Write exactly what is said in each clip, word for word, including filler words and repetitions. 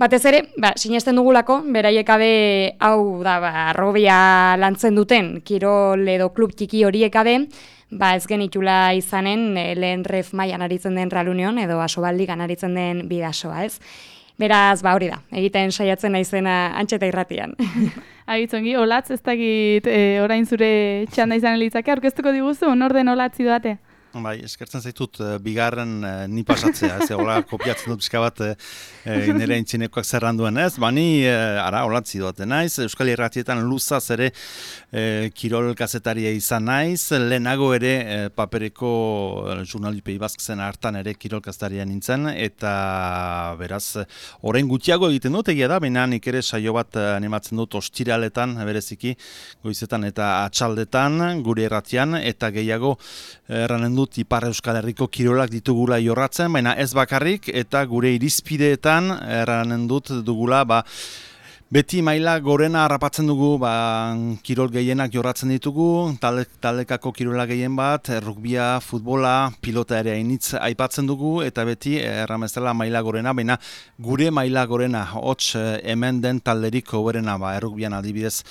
Batez ere, ba, sinesten dugulako, beraiek abe, hau da, ba, arrobia lantzen duten, kirol edo klub txiki horiek abe, ba, ez genitula izanen e, lehen ref mailan aritzen den Real Union edo Asobaldigan aritzen den Bidasoa, ez? Beraz, ba, hori da, egiten saiatzen naizena Antxeta Irratian. Agitzongi, Olatz, ez dakit e, orain zure txanda izan litzake, aurkeztuko diguzu, nor den Olatz idoate? Bai, eskertzen zaitut, bigarren eh, ni pasatzea, ez, hola kopiatzen dut pixka bat eh, nire intzinekoak zerranduen ez, ba ni, eh, ara, Olatz idoate naiz, Euskal Irratietan luzaz ere eh, kirol kazetaria izan naiz, lehenago ere eh, papereko eh, Jurnalipei Basken hartan ere kirol kazetaria nintzen, eta beraz, orain gutxiago egiten dut, egia da, baina nik ere saio bat animatzen dut ostiraletan, bereziki, goizetan eta atxaldetan, gure irratian, eta gehiago erranen dut Ipar Euskal Herriko kirolak ditugula jorratzen, baina ez bakarrik, eta gure irizpideetan erranen dut dugula, ba, beti maila gorena harrapatzen dugu, ba, kirol gehienak jorratzen ditugu, talde, taldekako kirola gehien bat, rugbia, futbola, pilota ere hainitz aipatzen dugu, eta beti erramezela maila gorena, baina gure maila gorena, hots hemen den talderik hoberena, ba, errugbian adibidez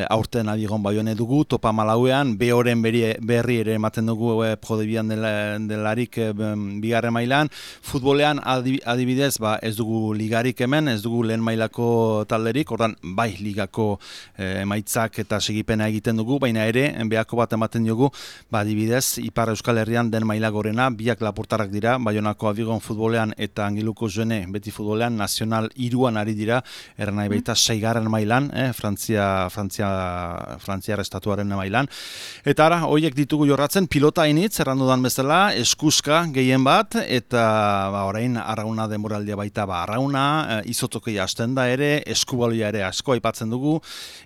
aurten adigon baione dugu, topa malauean, behoren berri ere ematen dugu e, prodebian dela, delarik e, bigarren mailan, futbolean adibidez, ba, ez dugu ligarik hemen, ez dugu lehen mailako talderik, ordan bai ligako eh, emaitzak eta segipena egiten dugu, baina ere behako bat ematen dugu, ba adibidez Ipar Euskal Herrian den maila gorena, biak lapurtarrak dira, Baionako Abigon futbolean eta Angiluko Joene beti futbolean, nazional iruan ari dira, erran nahi baita seigarren mailan, eh, Frantzia, Frantzia, Frantziar estatuaren mailan, eta ara, horiek ditugu jorratzen, pilota hainitz, erran dudan bezala, eskuska gehien bat, eta ba, orain arrauna denboraldia baita, ba arrauna, eh, izotokei hasten da ere, eskubalu ere asko aipatzen dugu,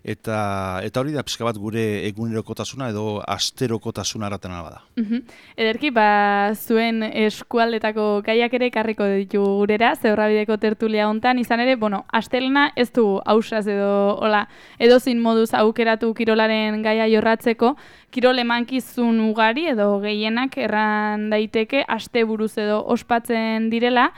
eta eta hori da pixka bat gure egunerokotasuna edo asterokotasuna araten bada. Uh-huh. Ederki, ba, zuen eskualdetako gaiak ere karriko ditu gurera, Zebrabideko tertulia hontan, izan ere, bueno, astelena ez du ausaz edo, hola, edozin moduz aukeratu kirolaren gaia jorratzeko, kirol emankizun ugari edo gehienak erran daiteke asteburuz edo ospatzen direla.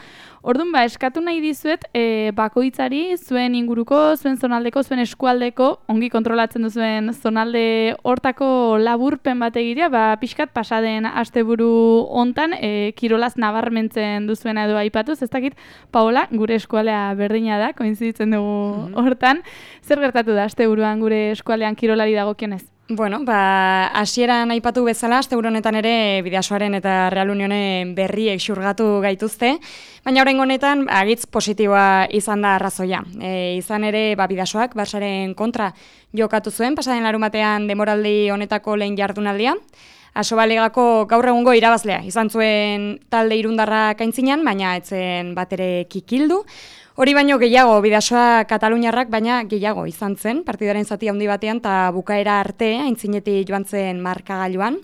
Orduan, ba, eskatu nahi dizuet, e, bakoitzari, zuen inguruko, zuen zonaldeko, zuen eskualdeko, ongi kontrolatzen duzuen zonalde hortako laburpen bat egitea, ba, pixkat pasaden asteburu hontan, e, kirolaz nabarmentzen duzuena edo aipatuz, ez dakit, Paola, gure eskualdea berdina da, koinziditzen dugu hortan, zer gertatu da asteburuan gure eskualdean kirolari dagokionez? Bueno, ba, hasieran aipatu bezala, asteburu honetan ere Bidasoaren eta Real Unionen berriek xurgatu gaituzte, baina oraingo honetan agitz positiboa izan da arrazoia. E, izan ere, ba, Bidasoak Barsaren kontra jokatu zuen, pasaden larunbatean denboraldi honetako lehen jardunaldia. Asobaligako gaur egungo irabazlea izan zuen talde irundarra kaintzinan, baina etzen batere kikildu. Hori baino gehiago, Bidasoa Kataluniarrak, baina gehiago izan zen, partidaren zati handi batean, eta bukaera arte, aintzinetik joan zen markagailuan.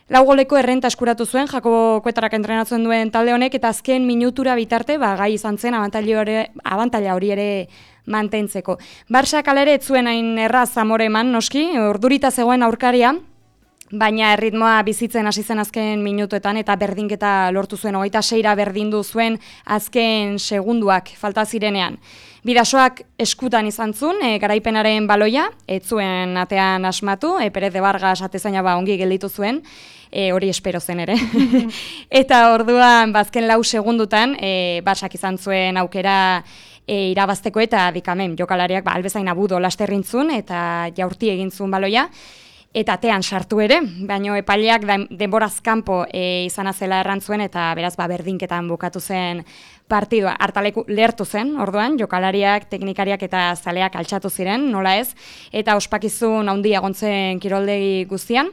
Lau goleko errenta eskuratu zuen, Jakobo Kuetarak entrenatzen duen talde honek, eta azken minutura bitarte, ba, gai izan zen abantaila hori ere mantentzeko. Barsak alere ez zuen hain erraz amore eman, noski, urdurita zegoen aurkaria, baina erritmoa bizitzen hasi zen azken minutuetan eta berdinketa lortu zuen, hogeita seira berdindu zuen azken segunduak falta zirenean. Bidasoak eskutan izan zuen, e, garaipenaren baloia, ez zuen atean asmatu, e, Perez de Vargas atezaina ba ongi gelditu zuen, e, hori espero zen ere. Eta orduan, bazken lau segundutan, e, Barsak izan zuen aukera e, irabazteko eta dikamen jokalariak ba, albezain abudo lasterrintzun eta jaurti egin zuen baloia. Eta atean sartu ere, baino epaileak denboraz kanpo e, izana zela errantzuen eta beraz ba, berdinketan bukatu zen partidua. Hartaleku lehertu zen, orduan, jokalariak, teknikariak eta zaleak altxatu ziren, nola ez, eta ospakizun handia gontzen kiroldegi guztian,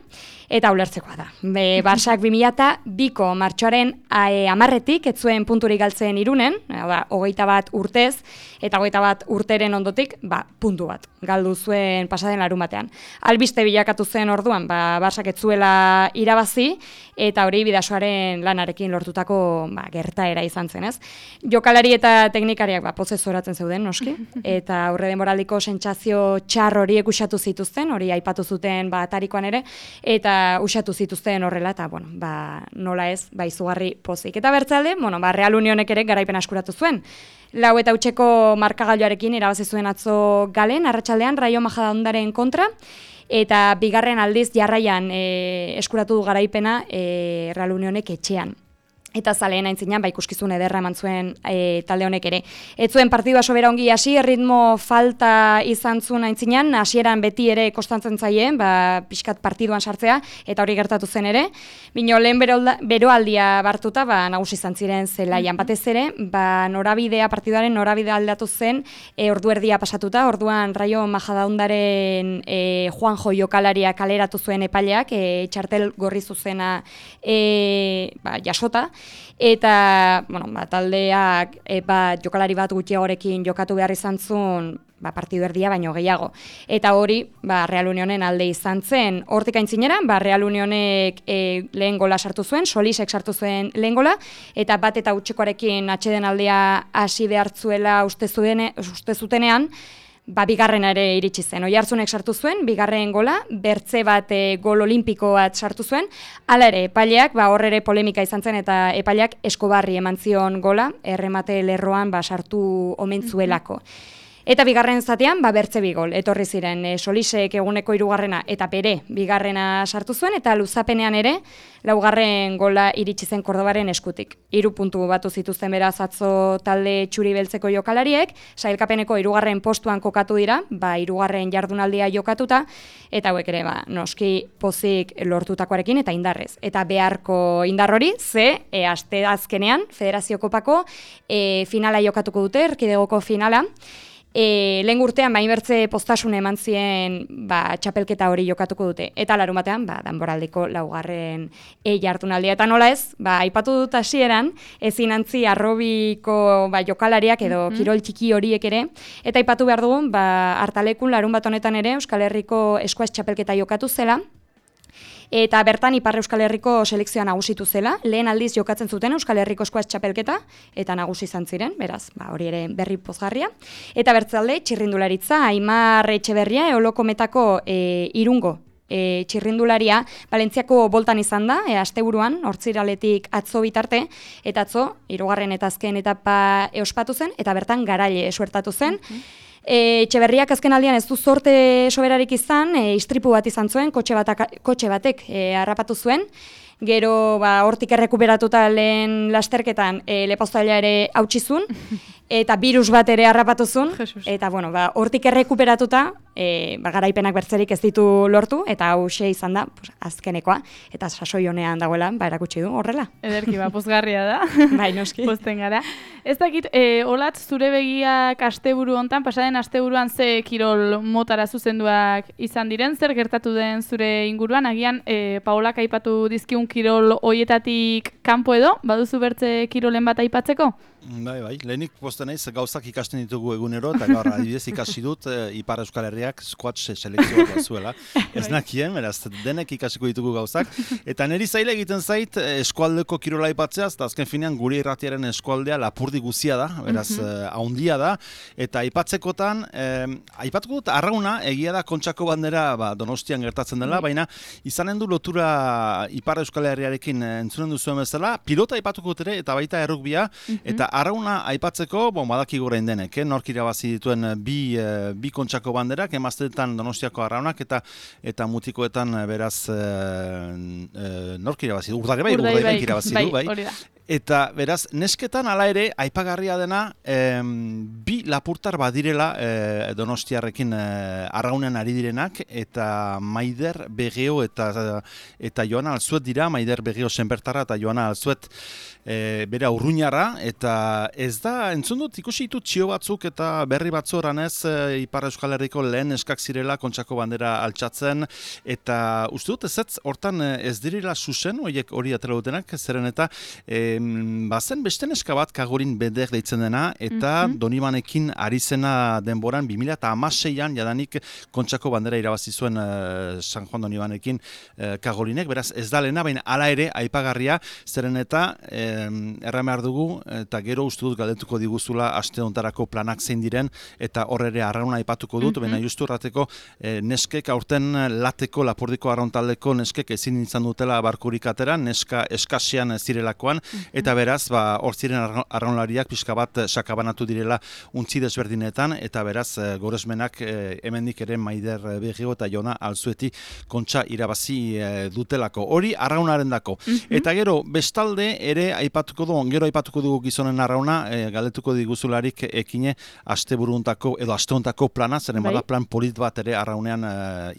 eta ulertzekoa da. Be, Barsak bi mila biko martxoaren amarretik, ez zuen punturik galtzen Irunen, da, hogeita bat urtez, eta hogeita bat urteren ondotik, ba, puntu bat, galdu zuen pasaden larun batean. Albiste bilakatu zen orduan, ba, Barsak ez zuela irabazi, eta hori Bidasoaren lanarekin lortutako ba, gertaera izan zen, ez? Jokalari eta teknikariak ba, pozez zoratzen zeuden, noski, eta aurre denboraldiko sentsazio txar horiek usatu zituzten, hori aipatu zuten ba, atarikoan ere, eta usatu zituzten horrela, eta bueno, ba, nola ez, ba, izugarri pozik. Eta bertzalde, bueno, ba, Real Unionek ere garaipen askuratu zuen. Lau eta utxeko markagailuarekin irabazi zuen atzo Galen, arratsaldean Raio Majadahondaren kontra, eta bigarren aldiz jarraian e, eskuratu du garaipena e, Real Unionek etxean. Eta zaleen aintzinean, ba, ikuskizun ederra eman zuen e, talde honek ere. Ez zuen partidua sobera ongi hasi, ritmo falta izan zuen aintzinean, hasieran beti ere kostantzen zaien, ba, pixkat partiduan sartzea, eta hori gertatu zen ere. Bino, lehen beroaldia bartuta, ba, nagusi izan ziren zelaian. Batez ere, ba, norabidea, partiduaren norabidea aldatu zen, e, ordu erdia pasatuta, orduan Raio Majadahondaren e, Juanjo jokalaria kaleratu zuen epaileak, e, txartel gorri zuzena e, ba, jasota, eta bueno, ba, taldeak e, ba, jokalari bat gutxiagorekin jokatu behar izan zuen ba, partidu erdia baino gehiago. Eta hori ba, Real Unionen alde izan zen. Hortik aintzinera, ba, Real Unionek e, lehen gola sartu zuen, Solisek sartu zuen lehen gola, eta bat eta utxikoarekin atxeden aldea hasi behartzuela uste, zuene, uste zutenean, ba, bigarrena ere iritsi zen. Oiartzunek sartu zuen, bigarren gola, bertze bat e, gol olimpiko bat sartu zuen, hala ere, epaileak, ba, hor ere polemika izan zen, eta epaileak Eskobarri eman zion gola, erremate lerroan ba, sartu omen zuelako. Eta bigarren zatean, ba, bertze bi gol, etorri ziren e, Solisek eguneko hirugarrena eta bere bigarrena sartu zuen, eta luzapenean ere, laugarren gola iritsi zen Kordobaren eskutik. Hiru puntu batu zituzten beraz atzo talde txuri beltzeko jokalariek, sailkapeneko hirugarren postuan kokatu dira, ba, hirugarren jardunaldia jokatuta, eta hauek ere, ba, noski pozik lortutakoarekin eta indarrez. Eta beharko indar hori, ze, e, aste azkenean, Federazio Kopako e, finala jokatuko dute, erkidegoko finala, E, lehen urtean, ba, inbertze postasun eman zien ba, txapelketa hori jokatuko dute. Eta larun batean, ba, danboraldeko laugarren e jardunaldia. Eta nola ez, ba, aipatu dut hasieran, ezin antzi arrobiko ba, jokalariak edo mm-hmm. kirol txiki horiek ere. Eta aipatu behar dugun, ba, hartalekun larun bat honetan ere, Euskal Herriko eskuaz txapelketa jokatu zela. Eta bertan Ipar Euskal Herriko selekzioa nagusitu zela, lehen aldiz jokatzen zuten Euskal Herriko eskuaz txapelketa, eta nagusi izan ziren, beraz, ba, hori ere berri pozgarria. Eta bertzalde, txirrindularitza, Aimar Etxeberria, Eolokometako e, irungo e, txirrindularia, Valentziako boltan izan da, e, asteburuan, hortziraletik atzo bitarte, eta atzo, hirugarren eta azken etapa eospatu zen, eta bertan garaile esuertatu zen. Mm-hmm. E, Etxeberriak azken aldian ez du zorte soberarik izan, e, istripu bat izan zuen, kotxe, batak, kotxe batek e, harrapatu zuen, gero ba, hortik errekuperatuta lehen lasterketan e, lepauzailea ere hautsizun, eta virus bat ere harrapatu zuen, eta bueno, ba, hortik errekuperatuta, e, ba, garaipenak bertzerik ez ditu lortu, eta hauxe izan da pues, azkenekoa, eta sasoi honean dagoela, ba, erakutsi du horrela. Ederki, ba, pozgarria da. Bai, noski. Pozten gara. Ez dakit, e, Olatz, zure begiak asteburu hontan, pasaden asteburuan ze kirol motara zuzenduak izan diren, zer gertatu den zure inguruan, agian e, Paolak aipatu dizkiun kirol hoietatik kanpo edo, baduzu bertze kirolen bat aipatzeko? Bai, bai, lehenik posten naiz gauzak ikasten ditugu egunero, eta gaur adibidez ikasi dut e, Ipar Euskal Herriak squash selekzioa bat zuela. Ez nakien, beraz, denek ikasiko ditugu gauzak. Eta niri zaila egiten zait eskualdeko kirola aipatzea, eta azken finean gure irratiaren eskualdea lapurdi guzia da, beraz, mm-hmm. haundia da, eta aipatzekotan, eh, aipatuko dut, arrauna, egia da Kontxako bandera ba, Donostian gertatzen dela, mm-hmm. baina izanen du lotura Ipar Euskal Herriarekin entzunen duzuen bezala, pilota aipatuko dut ere, eta baita errugbia, mm-hmm. eta arrauna aipatzeko, bon, badaki gorein denek, eh? Nork irabazi dituen bi, eh, bi Kontxako banderak, emazteetan Donostiako arraunak, eta eta mutikoetan beraz eh, eh, nork irabazi du, Urdaibaik bai, urdai irabazi du, bai. bai. Eta beraz, nesketan hala ere, aipagarria dena, eh, bi lapurtar badirela eh, Donostiarrekin eh, arraunean ari direnak, eta Maider Begeo eta, eta Joana Alzuet dira, Maider Begeo senbertarra eta Joana Alzuet E, bere urruñarra, eta ez da, entzun dut, ikusi ditut txio batzuk eta berri batzu oranez e, Ipar Euskal Herriko lehen eskak zirela Kontxako bandera altxatzen, eta uste dut ez ez hortan ez direla susen, horiek hori atera dutenak, zeren eta e, bazen beste neska bat Kagorin Beder deitzen dena, eta mm -hmm. Donibanekin ari zena denboran bi mila hamaseian jadanik Kontxako bandera irabazi zuen uh, San Juan Donibanekin uh, Kagorinek, beraz ez da lehena, baina hala ere aipagarria, zeren eta um, erran behar dugu, eta gero uste dut galdetuko diguzula aste hontarako planak zein diren, eta hor ere arrauna aipatuko dut, mm -hmm. baina justu errateko eh, neskek aurten lateko, lapordiko arrauntaldeko neskek ezin izan dutela barkurik atera, neska eskasian zirelakoan, mm -hmm. eta beraz, ba, hor ziren arraunlariak pixka bat sakabanatu direla untzi desberdinetan, eta beraz, e, goresmenak e, hemendik ere Maider Begio eta Jona Alzueti Kontxa irabazi e, dutelako. Hori arraunaren dako. Mm -hmm. Eta gero, bestalde ere aipatuko du, gero aipatuko dugu gizonen arrauna, e, galdetuko diguzularik ekine asteburuntako edo asteontako plana, zeren bada plan polit bat ere arraunean e,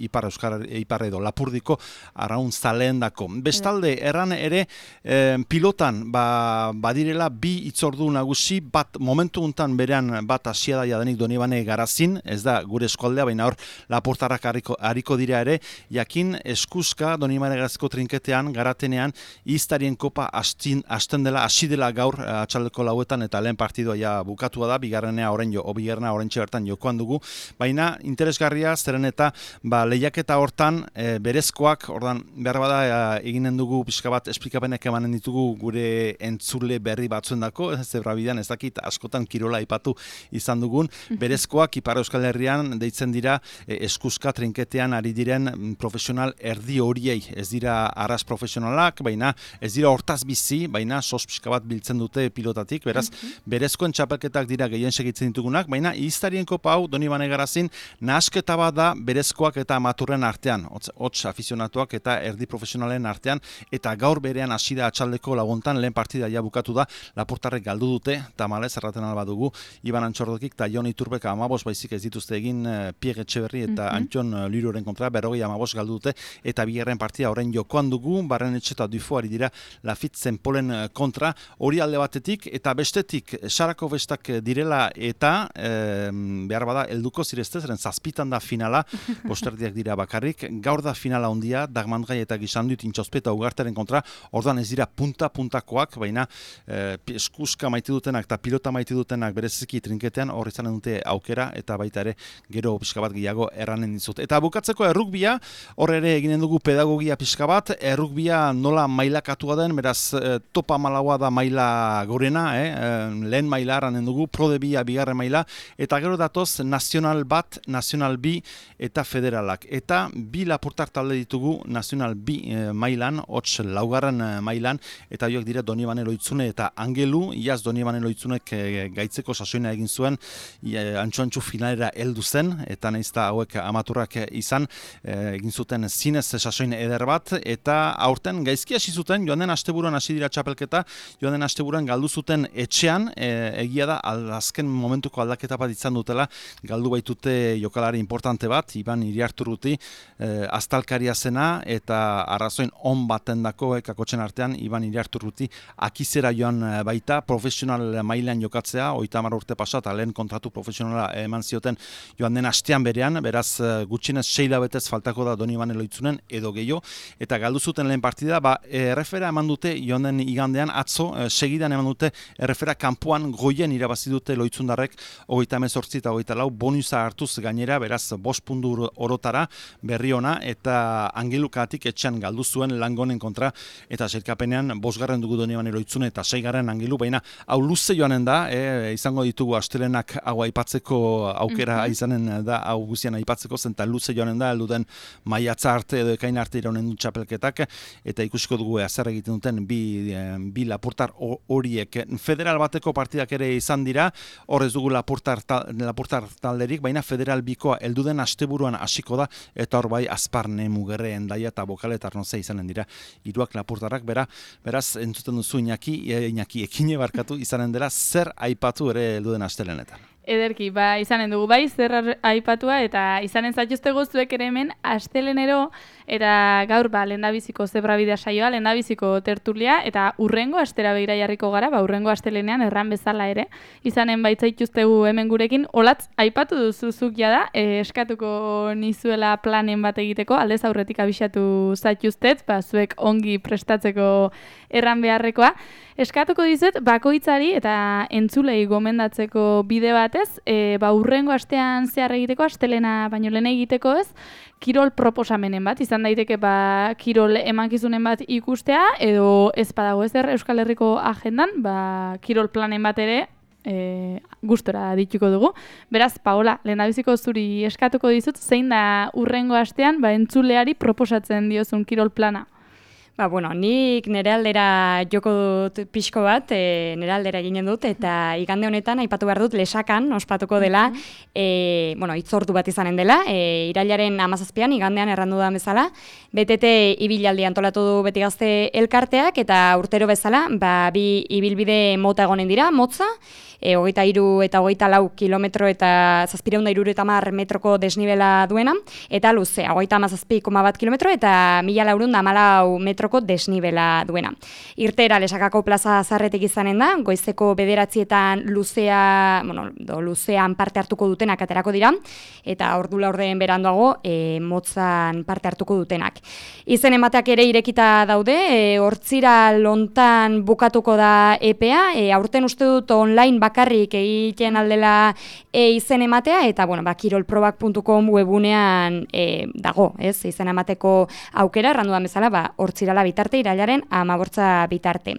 ipar euskara, ipar edo lapurdiko arraun zaleendako. Bestalde, erran ere e, pilotan ba, badirela bi itzordu nagusi, bat momentu untan berean bat hasia da jadanik Donibane Garazin, ez da gure eskualdea, baina hor lapurtarrak hariko, hariko dira ere, jakin eskuska Donibane Garaziko trinketean, garatenean, iztarien kopa astin, asten dela, hasi dela gaur atxaldeko lauetan, eta lehen partidua ja bukatua da, bigarrenea orain jo, o bigarrena oraintxe bertan jokoan dugu, baina interesgarria, zeren eta ba, lehiaketa hortan e, berezkoak, ordan behar bada e, eginen dugu pixka bat esplikapenek emanen ditugu gure entzule berri batzuendako, zebrabidean ez dakit askotan kirola aipatu izan dugun, berezkoak Ipar Euskal Herrian deitzen dira e, eskuska trinketean ari diren profesional erdi horiei, ez dira arras profesionalak, baina ez dira hortaz bizi, baina sos pixka bat biltzen dute pilotatik, beraz, berezkoen txapelketak dira gehien segitzen ditugunak, baina iztarien kopa hau Donibane Garazin nahasketa bat da berezkoak eta amaturren artean, hots afizionatuak eta erdi profesionalen artean, eta gaur berean hasi da atxaldeko laguntan, lehen partida ja bukatu da, Lapurtarrek galdu dute, tamalez erraten alba dugu, Iban Antxordokik eta Jon Iturbek amabos baizik ez dituzte egin uh, Pierre Etxeberri eta mm-hmm. Antxon uh, Liroren kontra, berrogei amabos galdu dute, eta bigarren partida orain jokoan dugu, Barren Etxe eta Dufoari dira Lafit Zenpolen uh, kontra, hori alde batetik, eta bestetik, Sarako bestak direla eta e, behar bada helduko zirezte, zeren zazpitan da finala, posterdiak dira bakarrik, gaur da finala ondia, Dagmandgai eta Gizandut Intxospe eta Ugarteren kontra, ordan ez dira punta-puntakoak, baina e, eskuska maite dutenak eta pilota maite dutenak bereziki trinketean hor izanen dute aukera, eta baita ere gero pixka bat gehiago erranen dizut. Eta bukatzeko errugbia, hor ere eginen dugu pedagogia pixka bat, errugbia nola mailakatua den, beraz e, topa malaua da maila gorena, eh? e, lehen maila erranen dugu, prodebia bigarren maila, eta gero datoz nazional bat, nazional bi eta federalak. Eta bi lapurtar talde ditugu nazional bi e, mailan, hots laugarren e, mailan, eta horiek dira Donibane Loitzune eta Angelu, iaz Donibane Loitzunek e, gaitzeko sasoina egin zuen, e, antxo-antxo finalera heldu zen, eta naizta hauek amaturrak izan, e, egin zuten zinez sasoin eder bat, eta aurten gaizki hasi zuten, joan den asteburuan hasi dira txapelketa, joan den asteburuan galdu zuten etxean, e, egia da, azken momentuko aldaketa bat izan dutela, galdu baitute jokalari importante bat, Iban Iriarturruti, e, aztalkaria zena, eta arrazoin on baten dako, e, kakotxen artean, Iban Iriarturruti akizera joan baita, profesional mailan jokatzea, oita hamar urte pasat, lehen kontratu profesionala eman zioten joan den astean berean, beraz gutxinez seila betez faltako da Donibane Loitzunen edo gehiago, eta galdu zuten lehen partida, ba, errefera eman dute joan den igandean, atzo, e, segidan eman dute errefera kanpoan goien irabazi dute Loitzundarrek, hogeita hemezortzi eta hogeita lau, bonusa hartuz gainera, beraz, bost puntu orotara berri ona, eta Angelukatik etxean galdu zuen Langonen kontra, eta sailkapenean bosgarren dugu Donibane Loitzune eta seigarren Angelu, baina hau luze joanen da, e, izango ditugu astelenak hau aipatzeko aukera mm-hmm. izanen da, hau guztian aipatzeko zen, eta luze joanen da, elduden maiatza arte edo ekain arte iraunen du txapelketak, eta ikusiko dugu zer egiten duten bi, bi lapurtar horiek. Federal bateko partidak ere izan dira, hor ez dugu lapurtar, ta, lapurtar talderik, baina federal bikoa elduden asteburuan hasiko da, eta hor bai Azparne, Mugerre, Endaia eta Bokale eta Arnoze izanen dira, hiruak lapurtarrak, bera, beraz, entzuten duzu Iñaki, e, Iñaki ekine barkatu izanen dela, zer aipatu ere elduden astelenetan. Ederki, ba, izanen dugu bai, zer aipatua, eta izanen zaituztego zuek ere hemen astelenero, eta gaur, ba, lehendabiziko zebrabidea saioa, lehendabiziko tertulia, eta urrengo astera begira jarriko gara, ba, urrengo astelenean erran bezala ere, izanen baitzaituztegu hemen gurekin, olatz, aipatu duzuzuk jada, e, eskatuko nizuela planen bat egiteko, aldez aurretik abisatu zaituztet, ba, zuek ongi prestatzeko erran beharrekoa. Eskatuko dizut, bakoitzari eta entzulei gomendatzeko bide batez, e, ba, urrengo astean zehar egiteko, astelena baino lehen egiteko ez, kirol proposamenen bat, izan daiteke ba, kirol emankizunen bat ikustea, edo ez badago ezer Euskal Herriko agendan, ba, kirol planen bat ere, E, gustora dituko dugu. Beraz, Paola, lehendabiziko zuri eskatuko dizut, zein da urrengo astean ba, entzuleari proposatzen diozun kirol plana? Ba, bueno, nik nire aldera joko dut pixko bat, e, nire aldera eginen dut, eta igande honetan aipatu behar dut lesakan ospatuko dela, e, bueno, itzordu bat izanen dela, e, irailaren hamazazpian, igandean errandu da bezala, B T T ibilaldi antolatu du beti gazte elkarteak, eta urtero bezala, ba, bi ibilbide mota egonen dira, motza, e, hogeita hiru eta hogeita lau kilometro eta zazpireunda hirurogeita hamar metroko desnibela duena, eta luze, hogeita hamazazpi koma bat kilometro eta mila laurehun eta hamalau metroko desnibela duena. Irtera Lesakako plaza zarretik izanen da, goizeko bederatzietan luzea, bueno, do, luzean parte hartuko dutenak aterako dira, eta ordu laurden beranduago e, motzan parte hartuko dutenak. Izen emateak ere irekita daude, e, hortzira lontan bukatuko da epea, e, aurten uste dut online bakarrik egiten aldela e, izen ematea, eta bueno, ba, kirolprobak puntu com webunean e, dago, ez, izen emateko aukera, errandu da bezala, ba, hortzirala bitarte, irailaren amabortza bitarte.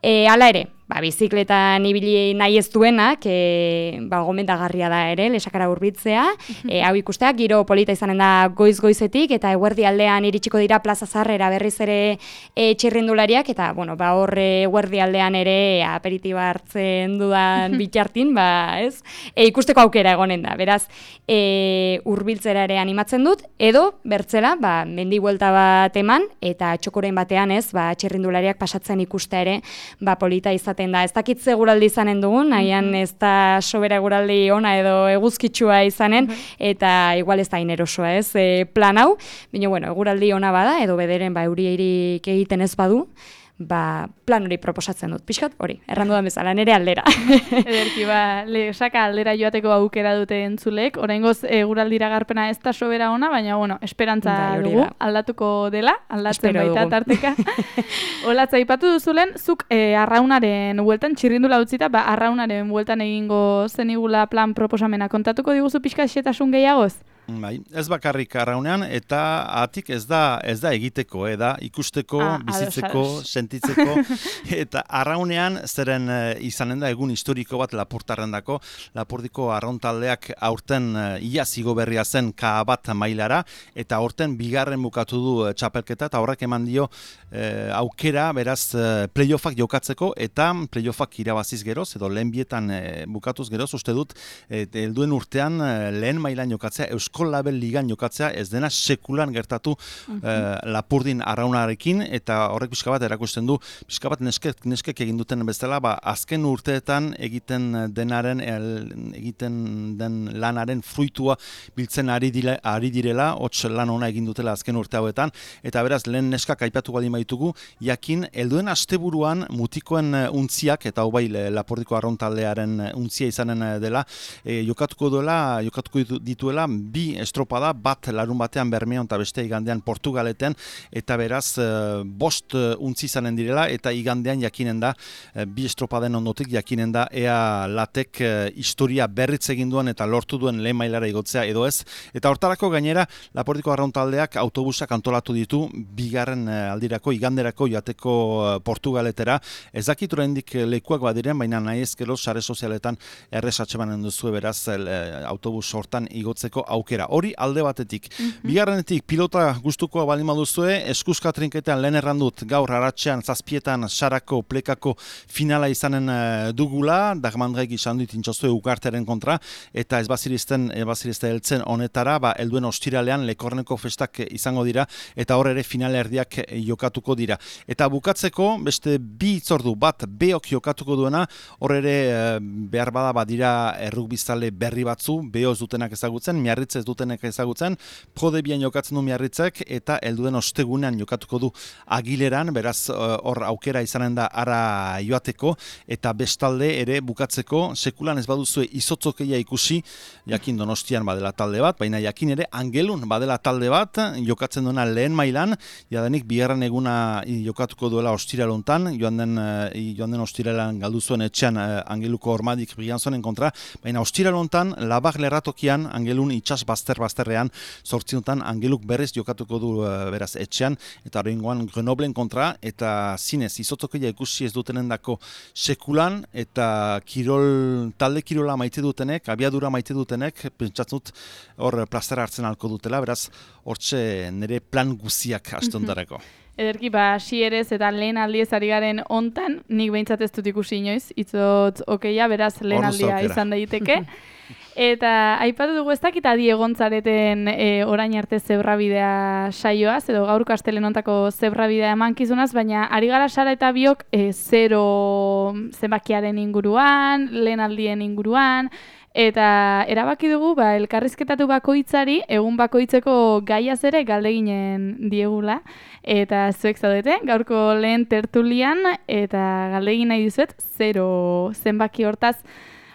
E, hala ere, ba, bizikletan ibili nahi ez duenak, e, ba, gomendagarria da ere, Lesakara hurbiltzea, e, hau ikustea, giro polita izanen da goiz-goizetik, eta eguerdi aldean iritsiko dira plaza zarrera berriz ere e, txirrindulariak, eta, bueno, ba, horre eguerdi aldean ere aperitiba hartzen dudan bitxartin, ba, ez, e, ikusteko aukera egonen da, beraz, e, hurbiltzera ere animatzen dut, edo, bertzela, ba, mendi buelta bat eman, eta txokoren batean, ez, ba, txirrindulariak pasatzen ikustea ere, ba, polita izaten da. Ez dakit eguraldi izanen dugun, nahian ez da sobera eguraldi ona edo eguzkitsua izanen, eta igual ez da inerosoa, ez, e, plan hau, baina, bueno, eguraldi ona bada, edo bederen, ba, eurieirik egiten ez badu, ba, plan hori proposatzen dut. Pixkat hori, errandu da bezala, nire aldera. Ederki, ba, Lesaka aldera joateko aukera dute entzulek, oraingoz eguraldira garpena ez da sobera ona, baina, bueno, esperantza bai, dugu, da. Aldatuko dela, aldatzen Espero baita dugu. tarteka. Olatza, aipatu duzulen, zuk e, arraunaren bueltan, txirrindula utzita, ba, arraunaren bueltan egingo zenigula plan proposamena. Kontatuko diguzu pixka xetasun gehiagoz? Bai, ez bakarrik arraunean, eta atik ez da ez da egiteko, eh, da ikusteko, Ah, bizitzeko, ados, ados. sentitzeko, eta arraunean zeren eh, izanen da egun historiko bat Lapurtarrendako, Lapurdiko arrauntaldeak aurten eh, iaz igo berria zen K bat mailara, eta aurten bigarren bukatu du eh, txapelketa, eta horrek eman dio eh, aukera, beraz, eh, playoffak jokatzeko, eta playoffak irabaziz geroz, edo lehen bietan eh, bukatuz geroz, uste dut, eh, helduen urtean eh, lehen mailan jokatzea, Eusko Label Ligan jokatzea ez dena sekulan gertatu uh-huh. eh, Lapurdin arraunarekin, eta horrek pixka bat erakusten du, pixka bat neskek, neskek egin duten bezala, ba, azken urteetan egiten denaren, el, egiten den lanaren fruitua biltzen ari, dile, ari direla, hots lan ona egin dutela azken urte hauetan, eta beraz lehen neskak aipatu baldin baitugu, jakin, helduen asteburuan mutikoen untziak, eta hau bai Lapurdiko arrauntaldearen untzia izanen dela, e, jokatuko duela, jokatuko dituela bi estropada, bat larun batean Bermeon eta beste igandean Portugaleten, eta beraz bost untzi izanen direla, eta igandean jakinen da, bi estropaden ondotik jakinen da ea latek historia berritz egin duen eta lortu duen lehen mailara igotzea edo ez, eta hortarako gainera Lapurdiko arrauntaldeak autobusak antolatu ditu bigarren aldirako, iganderako joateko Portugaletera, ez dakit oraindik lekuak badiren, baina nahi ezkero sare sozialetan errez atxemanen duzu beraz autobus hortan igotzeko aukera. Hori alde batetik. Mm-hmm. Bigarrenetik pilota gustukoa baldin baduzue, eskuzka trinketean lehen errandut gaur aratsean zazpietan sarako plekako finala izanen uh, dugula, Dagmandrek izan dut intxozue ukarteren kontra, eta ez bazirizten, ez bazirizten heltzen honetara, ba, helduen ostiralean Lekorneko festak izango dira, eta hor ere final erdiak jokatuko dira. Eta bukatzeko, beste bi itzordu bat beok jokatuko duena, hor ere uh, behar bada badira errugbizale berri batzu, behoz dutenak ezagutzen, Miarritz ez dutenek ezagutzen, Prodebian jokatzen du Miarritzek eta helduen ostegunean jokatuko du Agileran, beraz hor aukera izanen da ara joateko, eta bestalde ere bukatzeko sekulan ez baduzue izotzokeia ikusi, jakin Donostian badela talde bat, baina jakin ere Angelun badela talde bat, jokatzen duena lehen mailan, jadanik bigarren eguna jokatuko duela ostiralontan, joan den, joan den ostiralan galdu zuen etxean Angeluko Ormadik Brianzonen kontra, baina ostiralontan Labar lerratokian Angelun itxas bazter-bazterrean zortziontan Angeluk berriz jokatuko du beraz etxean, eta horrengoan Grenoblen kontra, eta zinez izotzokeia ikusi ez dutenendako sekulan, eta kirol, talde kirola maite dutenek, abiadura maite dutenek, pentsatzut hor plazera hartzen alko dutela, beraz hortxe nire plan guziak astontarako. Ederki, ba, xierez eta lehen aldiez ari garen hontan, nik behintzat ez dut ikusi inoiz, itzot okeia, beraz lehen aldia izan daiteke. Eta aipatu dugu ez dakit adi egontzareten e, orain arte zebrabidea saioaz, edo gaur Kastelen hontako zebrabidea emankizunaz, baina ari gara Sara eta biok e, zero zenbakiaren inguruan, lehen aldien inguruan, eta erabaki dugu ba, elkarrizketatu bakoitzari, egun bakoitzeko gaiaz ere galdeginen diegula, eta zuek zaudete, gaurko lehen tertulian, eta galdegin nahi dizuet, zero zenbaki hortaz.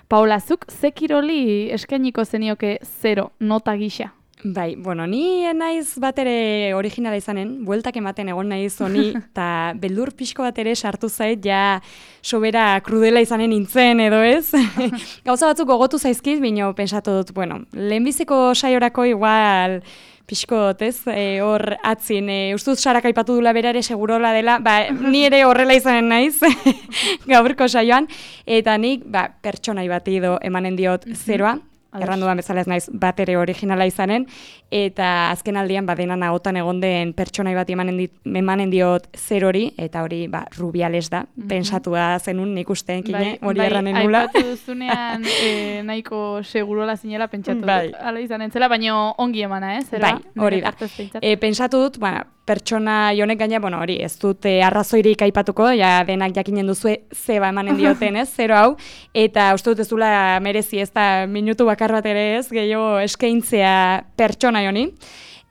Paola, zuk ze kiroli eskainiko zenioke zero nota gisa? Bai, bueno, ni naiz bat ere originala izanen, bueltak ematen egon naiz honi, eta beldur pixko bat ere sartu zait, ja sobera krudela izanen nintzen edo ez. Gauza batzuk gogotu zaizkiz, bino pensatu dut, bueno, lehenbiziko saiorako igual pixkot, ez, e, hor atzin, e, ustuz Sarak aipatu dula bera ere segurola dela, ba, ni ere horrela izanen naiz, gaurko saioan, eta nik, ba, pertsonai bati edo emanen diot zeroa, erranduan bezala ez naiz bat ere originala izanen, eta azken aldian badenan ahotan egon den pertsonai bat emanen, dit, emanen diot zerori, eta hori ba, Rubiales da, mm-hmm. pensatua zenun nik ustean kine, hori bai, erranen nula. Bai, aipatu duzunean e, nahiko segurola zinela pentsatu bai. dut, ala izanen zela, baina ongi emana, ez? Eh, bai, hori da. E, pentsatu dut, ba, pertsona jonek gaina, bueno, hori, ez dut e, arrazoirik aipatuko, ja denak jakinen duzue zeba emanen dioten, ez, zero hau, eta uste dut ez dula merezi ez da minutu bakar bat ere ez, gehiago eskaintzea pertsona joni.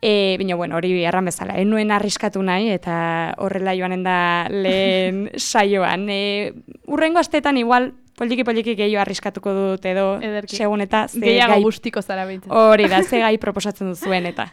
E, Bino, bueno, hori erran bezala, enuen arriskatu nahi, eta horrela joanen da lehen saioan. E, urrengo astetan igual, poliki-poliki gehiago arriskatuko dut edo, Ederki. Segun eta ze gehiago gai... gustiko zara behintzen. Hori da, ze gai proposatzen duzuen eta.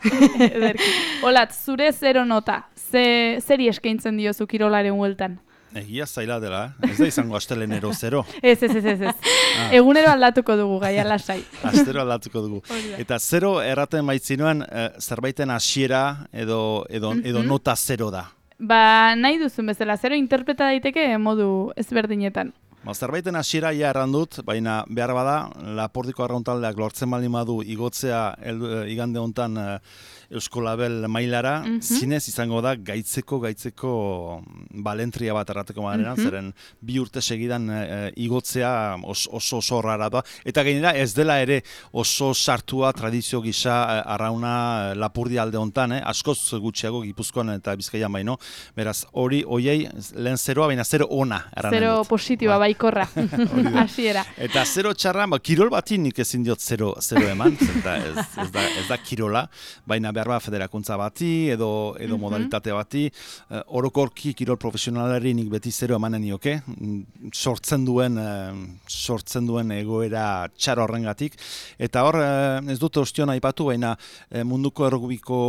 Ederki. Olat, zure zero nota, ze, zeri eskaintzen diozu kirolaren hueltan? Egia zaila dela, ez da izango astelenero zero. Ez, ez, ez, ez. Ah. Egunero aldatuko dugu, gaia lasai. Astero aldatuko dugu. Eta zero erraten baitzinoan, eh, zerbaiten hasiera edo, edo, mm-hmm. edo nota zero da. Ba, nahi duzun bezala, zero interpreta daiteke modu ezberdinetan. Ba, zerbaiten hasiera ja errandut, baina behar bada, Lapordiko arrauntaldeak lortzen baldin badu igotzea el, igande hontan eh, Eusko Label mailara, mm-hmm. zinez izango da gaitzeko, gaitzeko balentria bat errateko maderan, mm-hmm. zeren bi urte segidan e, igotzea os, oso oso rara da. Eta gainera ez dela ere oso sartua tradizio gisa e, arrauna e, Lapurdi alde hontan, eh? askoz gutxiago Gipuzkoan eta Bizkaian baino. Beraz, hori hoiei lehen zeroa, baina zero ona. Zero positiboa, ba. Baikorra. Hasiera. Eta zero txarra, ba, kirol bati nik ezin diot zero, zero eman, zenta ez, ez, da, ez da kirola, baina behar bat federakuntza bati, edo, edo mm-hmm. modalitate bati, uh, orokorki kirol profesionalari nik beti zero emanen nioke, sortzen duen, uh, sortzen duen egoera txar horrengatik, eta hor, uh, ez dute ostion aipatu, baina uh, munduko errugubiko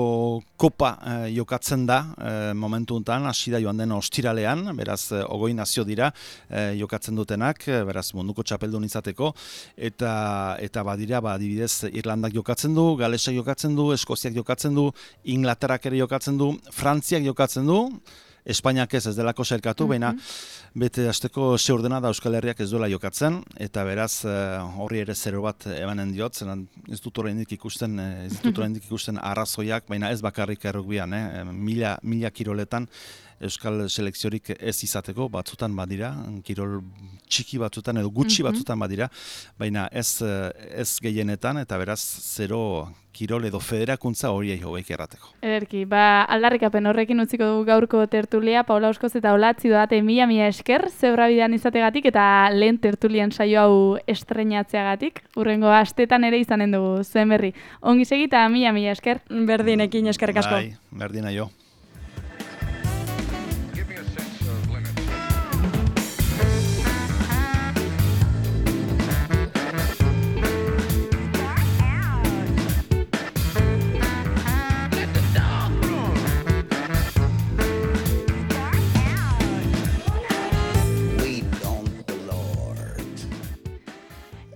kopa uh, jokatzen da, uh, momentu honetan, hasi da joan den ostiralean, beraz, uh, ogoi nazio dira, uh, jokatzen dutenak, beraz, munduko txapeldun izateko, eta, eta badira, ba, adibidez, Irlandak jokatzen du, Galesak jokatzen du, Eskoziak jokatzen du, Inglaterrak ere jokatzen du, Frantziak jokatzen du, Espainiak ez ez delako sailkatu, mm-hmm. baina bete hasteko ze ordena da Euskal Herriak ez duela jokatzen, eta beraz horri ere zero bat emanen diot, zeran ez dut oraindik ikusten, ez dut oraindik ikusten arrazoiak, baina ez bakarrik errugbian, eh? mila, mila kiroletan, euskal selekziorik ez izateko, batzutan badira, kirol txiki batzutan edo gutxi Mhm. batzutan badira, baina ez, ez gehienetan, eta beraz zero kirol edo federakuntza horiei hobeik errateko. Ederki, ba, aldarrikapen horrekin utziko dugu gaurko tertulia, Paula Oskoz eta Olatzi Dodate mila mila esker, zebrabidean izategatik eta lehen tertulien saio hau estrenatzeagatik, urrengo astetan ere izanen dugu zuen berri. Ongi segita mila mila esker. Berdinekin eskerrik asko. Bai, berdina jo.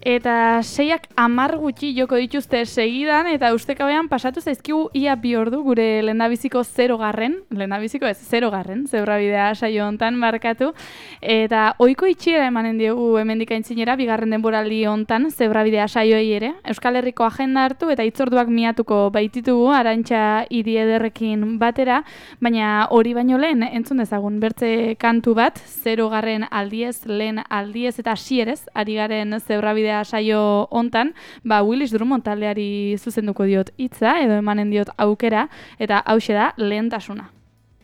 Eta seiak hamar gutxi joko dituzte segidan, eta ustekabean pasatu zaizkigu ia bi ordu gure lehendabiziko zero garren, lehendabiziko ez, zero garren, zebrabidea saio hontan markatu, eta ohiko itxiera emanen diogu hemendik aintzinera, bigarren denboraldi hontan zebrabidea saioei ere, Euskal Herriko agenda hartu eta hitzorduak miatuko baititugu Arantxa Hiri Ederrekin batera, baina hori baino lehen entzun dezagun bertze kantu bat, zero garren aldiez, lehen aldiez eta hasierez ari garen zebrabidea saio hontan, ba Willis Drummond taldeari zuzenduko diot hitza edo emanen diot aukera, eta hauxe da lehentasuna.